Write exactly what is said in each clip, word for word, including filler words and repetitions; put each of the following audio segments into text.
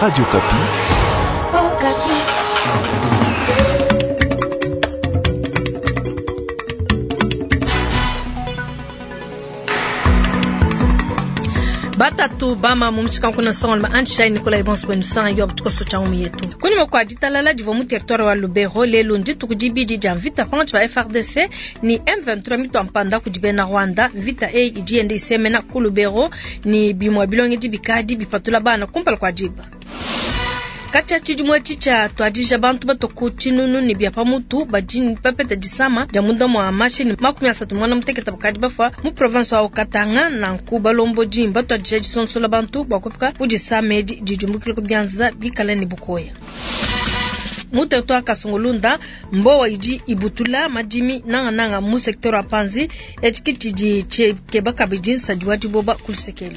Radio Okapi. Okapi. Batatu bama mumshika kuna songo ma anshai Nicolas Ebons kwenu sanga yo butuko cha umu yetu. Kunyuma kwa ditalala divo mu territoire wa Lubero lelo nditu kudibidi dia mvita panchi ba F R D C ni M vingt-trois mito mpanda kudibena Rwanda mvita e idiende isemena ku Lubero ni bimwa bilonge dibikadi bipatula bana kumpala kwa jiba. Katia chidimwe chicha tuadija bantu batoku chinunu ni bia pamutu bajini papeta disama ja munda mwa mashini makumi asatu mwana muteketa bakadi bafa mu province wa Katanga na nkuba lombo jimba tuadija disonsola bantu bakufika kudisame di dijumbukile kubyanza bikala ni bukoya. Mu territoire Kasongolunda mbowa idi ibutula madimi nanga nanga mu secteur wa Panzi etikiti di chekeba kabidi nsadiwa diboba kulusekelo.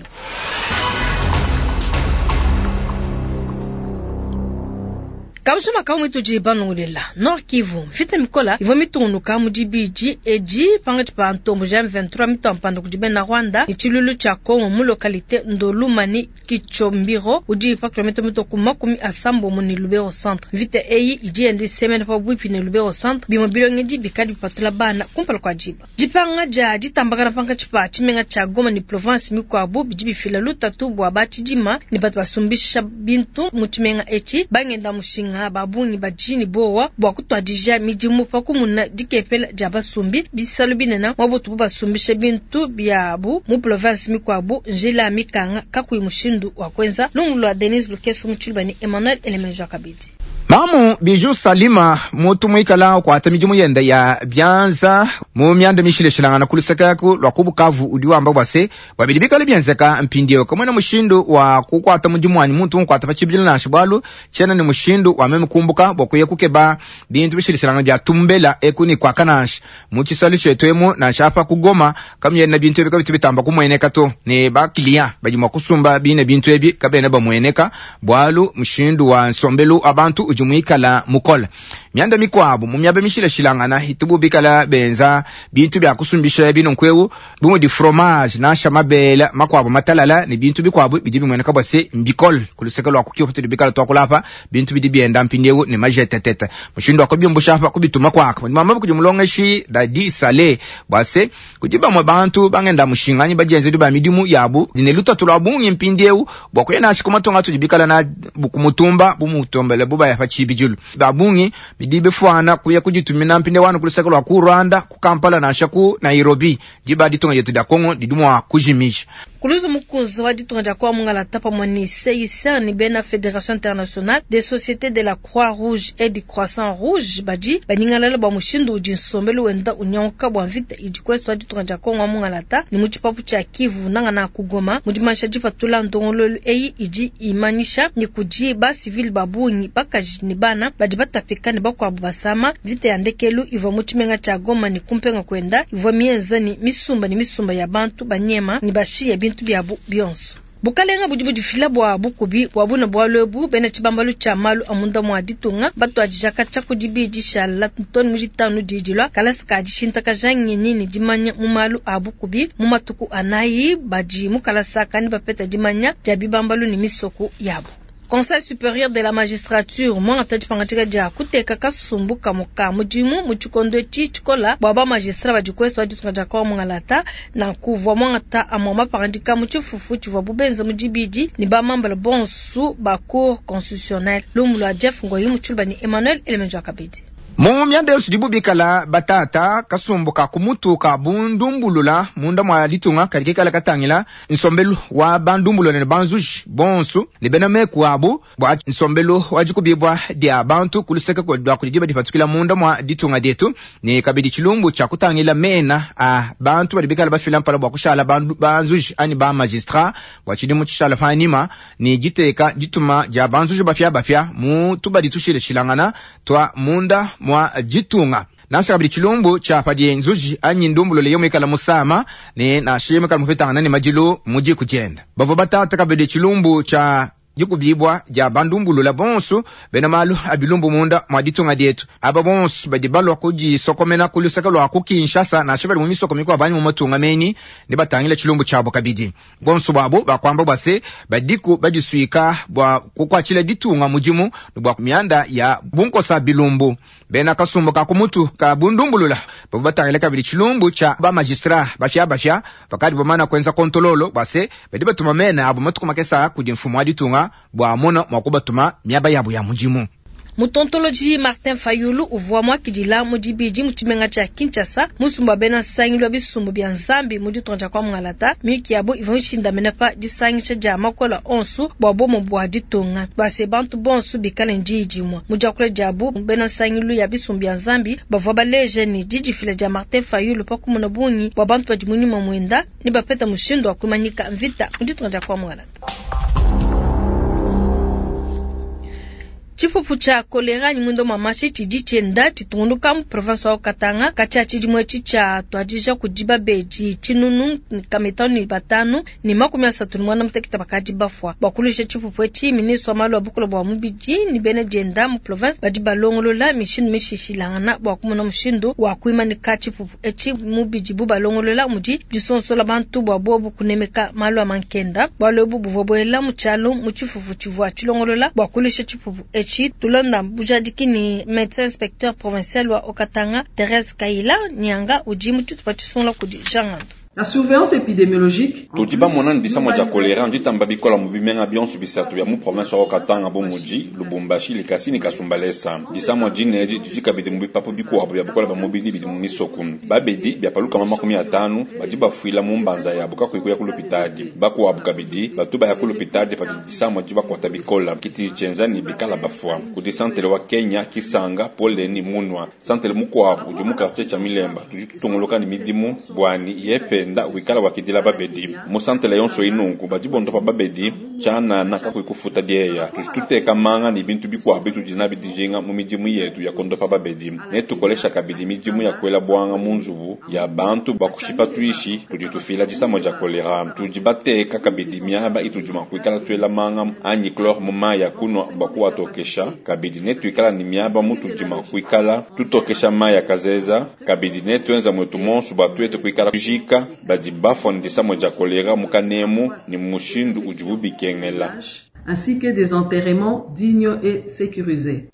Kabusuma ka mwitu ji banongolela Nord Kivu mfite mikola ivo mitungunuka mu dibidi edi pangati pa ntombo ja M vingt-trois mitampanda kudi bena Rwanda ichilulu cha Kongo mu localité Ndolumani Kichombiro udi pa kilomètre mito ku makumi asambo mu ni Lubero centre mvite eyi idi endi semaine pa bwipi ni Lubero centre bimo bilonge di bikadi bipatula bana kumpala kwa jiba dipanga ja ditambakana pankatshi pa tshimenga tsha Goma ni province mikuabu bidi bifila lutatu bua batshidima ni batu basumbisha bintu mu tshimenga etshi bangenda mushinga babungi bajini bowa bua kutwadija midimu pa kumuna dikepela dia basumbi bisalu binena mwabutu bu basumbisha bintu biabu mu province mikuabu njila mikanga kakuyi mushindu wa kwenza lungu lwa Denise Lukeso mu tshiluba ni Emmanuel Elemenjo Kabidi. Mamu Biju Salima mutu mwikala kwa midimu yenda ya byanza mu myanda mishileshilangana kuluseka ku lwa kubukavu udi wamba bwase babidi bikale byenzeka mpindio kamwe na mushindu wa kukwata mudimu wanyi muntu nkwata pa chibili na shibwalu chena ni mushindu wa meme kumbuka bwakuye kukeba bintu bishileshilangana bya tumbela ekuni kwa kanash mu chisali chetwemo na shafa kugoma kamye na bintu ebika bitu bitamba kumweneka to ne bakiliya badi mwakusumba bine bintu ebi kabene bamweneka bwalu mushindu wa nsombelu abantu uju mwikala mukola myanda mikwabu mu myabe mishilashilangana hitubu bikala benza bintu bya kusumbisha bino nkwewu bumu di fromage na shamabela makwabu matalala ni bintu bikwabu bidi bimweneka bwase mbikol kuluseka lwa kukiyo kutu bikala twakulapa bintu bidi byenda mpindewu ni majetetete mushindu akobyombusha hapa kubituma kwaka mama kujimulongeshi dadi sale bwase kujiba mwa bantu bangenda mushinganyi bajenze ba midimu yabu dinelutatu lwa bungi mpindewu bwa kuyena shikumatonga tujibikala na bukumutumba bumutombele buba ya chibijulu babungi bidibe fwana kuya kujitumina mpinde wanu kulusaka lwa ku Rwanda ku Kampala na shaku Nairobi jiba ditunga yetu da Kongo didumwa kujimisha Kuluzu mukunzi wa ditunga dia kwa mungala tapa mwani C I C R ni bena Fédération Internationale des Sociétés de la Croix-Rouge et du Croissant Rouge badi baningalala bwa mushindu udi nsombelu wenda unyanka bwa mvita idi kwesu wa ditunga dia Kongo mungala ta ni muchipapu cha Kivu nanga na kugoma mudimansha dipatula ndongololu eyi idi imanisha ni kuji ba civil babungi bakaji ni bana badi batapika ni bakwabu basama vita ya ndekelu ivwa muchimenga cha Goma ni kumpenga kwenda ivwa mienza ni misumba ni misumba ya bantu banyema ni bashiye bintu byabu byonso. Bukalenga budi budifila bwa bukubi bwa buna bwa lwebu bena chibambalu cha malu amunda mwa ditunga batu ajijaka cha kudibidi shala ntoni mujitanu didilwa kalasi ka dishintaka jangi ni dimanya mu malu a bukubi mu matuku anayi badi mukalasa kani bapeta dimanya dia bibambalu ni misoko yabo. Conseil supérieur de la magistrature mwanga dipangatika dia kuteka kasumbu kamuka mudimu mu tshikondo etshi tshikola bua ba magistrat badi kuesu wa ditunga dia kwa mungalata na kuvua mwanga amwa mapangandika mu tshifufu tshivua bubenza mu dibidi ni ba mambala bonsu ba cour constitutionnelle lumu lua Jeff Ngoyi mu tshiluba ni Emmanuel Elemenjo Kabidi. Mu myanda yonso dibu bikala batata kasumbu ka kumutu ka bundumbulula munda mwa ditunga kadi kikala katangila nsombelu wa bandumbulula ne banzuji bonsu ne bena meku abu bua nsombelu wa dikubibua dia bantu kuluseka kwa lua kudi diba dipatukila munda mwa ditunga dietu ne kabidi tshilumbu tshia kutangila mena a bantu badi bikala bafila mpala bua kushala bandu, banzuji anyi ba magistrat bua tshidimu tshishala panima ne diteka dituma dia banzuji bafia bafia mu tubadi tushileshilangana twa munda mwa ditunga. Nansha kabidi tshilumbu tshia padi nzuji anyi ndumbulule yomwe ikala musama ne nansha yomwe ikala mupetangana ne madilu mu diku dienda. Bavua batata kabidi tshilumbu tshia Dikubibua dia bandumbulula bonso bena malu a bilumbu munda mua ditunga dietu. Aba bonso badi balua kudisokomena ku luseke lua ku Kinshasa, nansha bali mu misoko mikuabu anyi mu matunga menyi, ne batangila tshilumbu tshiabo kabidi. Bonso buabo bakuamba bua se badiku badisuika bua kukuatshila ditunga mudimu ne bua mianda ya bunkosa bilumbu. Bena kasumbu ka kumutu ka bundumbulula bavua batangila kabidi tshilumbu tshia ba magistrat bafia bafia bakadi bamana kuenza kontololo bua se badi batuma mena abo matuku makesa kudi mfumu wa ditunga bua amona mua kubatuma miaba yabo ya mudimu. Mutontoloji Martin Fayulu uvua muakidila mu dibidi mu tshimenga tshia Kinshasa musumba bena nsangilu wa bisumbu bia Nzambi mu ditunga dia kwa Mungalata. Miyuki yabo ivua mishindamene pa disangisha dia makola onso bua bomo bua ditunga bua se bantu bonso bikale ndiyi dimue. Mu diakula diabu bena nsangilu ya bisumbu bia Nzambi bavua baleja ne didifila dia Martin Fayulu pa kumona bungi bua bantu badi mu nyuma muenda ne bapeta mushindu wa kumanyika mvita mu ditunga dia kwa Mungalata. Tshipupu tshia kolera ni mwendo mamashi tshidi tshienda tshitungunuka mu province wa Katanga katshia tshidimu etshi tshia tuadija kudi babedi tshinunu kamitanu ne batanu ne makumi asatu ne muanda mutekete bakadi bafua. Bua kuluisha tshipupu etshi, ministre wa malu a bukole bua mubidi ne bena dienda mu province badi balongolola mishindu mishishilangana bua kumona mushindu wa kuimanika tshipupu etshi. Mubidi bu balongolola mudi disonsola bantu bua bobu kunemeka malu a mankenda. Bualu ebu buvua buela mu tshialo mu tshifufu tshivua tshilongolola bua kuluisha tshipupu etshi. Tulonda bujadiki ni médecin inspecteur provincial wa Haut-Katanga Thérèse Kaila Nyanga udi mu tshitupa tshisungula kudi Jean Ngando. La surveillance épidémiologique. Tudi bamona ndisamo dia kolera nditamba bikola mu bimenga bionso bisatu bia mu province wa Katanga bu mudi Lubumbashi Likasi ni Kasumbalesa. Disamo dineji didi kabidi mu bipapu bikuabu bia bukola ba mubidi bidi mu misoku. Babedi bia paluka makumi atanu badi bafuila mu mbanza yabo kakuyi kuya ku lupitadi. Bakuabu kabidi batu baya ku lupitadi padi disamo di bakwata bikola kiti tshienza ni bikala bafua. Kudi santele wa Kenya Kisanga Poleni Munwa santele mukuabu udi mu quartier tshia Milemba tudi tutongoloka ni midimu bwani yepe nda wikala wakidila babedi musantele yonso inunku badi bondopa babedi tshana na kakuyi kufuta dieya tuteka manga ni bintu bikuabu bitudi nabi dijinga mu midimu yetu ya kondopa babedi ne tukolesha kabidi midimu ya kwela bwanga mu nzubu ya bantu bakushipa tuishi tudi tufila disamo dia kolera tudi bateka kabidi miaba itudi makuikala tuela manga anyi chlore mu mayi ya kunwa bakuwatokesha kabidi ne tuikala ni miaba mutudi makuikala tutokesha mayi ya kazeza kabidi ne tuenza mwetu monso batuete kuikala kujika badi bafua ndisamo dia kolera mukanemu ni mushindu udibu bikengela ainsi que des enterrements dignes et sécurisés.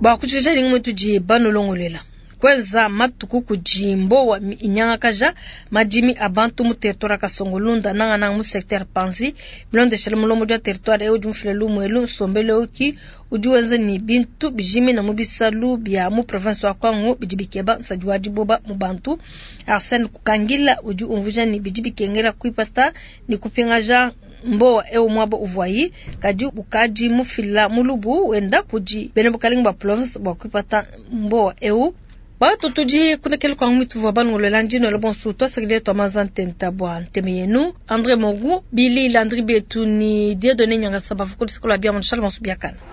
Bua kutshisha lingi mwetu banolongolela kweza matuku kujimbo wa inyangakaja madimi abantu mu territoire Kasongolunda nanga nanga mu secteur Panzi bilondeshela mulomo dia territoire eo jumfile lumwelu nsombelo oki udi wenza ni bintu bijimi na mubisalu bia mu province wa Kwango bidi bikeba nsadi wa diboba mu bantu. Arsène Kukangila udi umvuja ni bidi bikengela kuipata ni kupingaja mbowa eo mwaba uvwayi kadi ukadi mufila mulubu wenda kudi bena bukalenga ba province bua kuipata mbowa eo. Bato tudi kunekele kwa mwitu vwa bangolela ndino le bonsu twasakile twa mazantenta bwa nteme yenu André Mogu Billy Landry Betu ni Dieudonné Nyangasa bavuko lisikola bia mon Charles Bonsu biakana.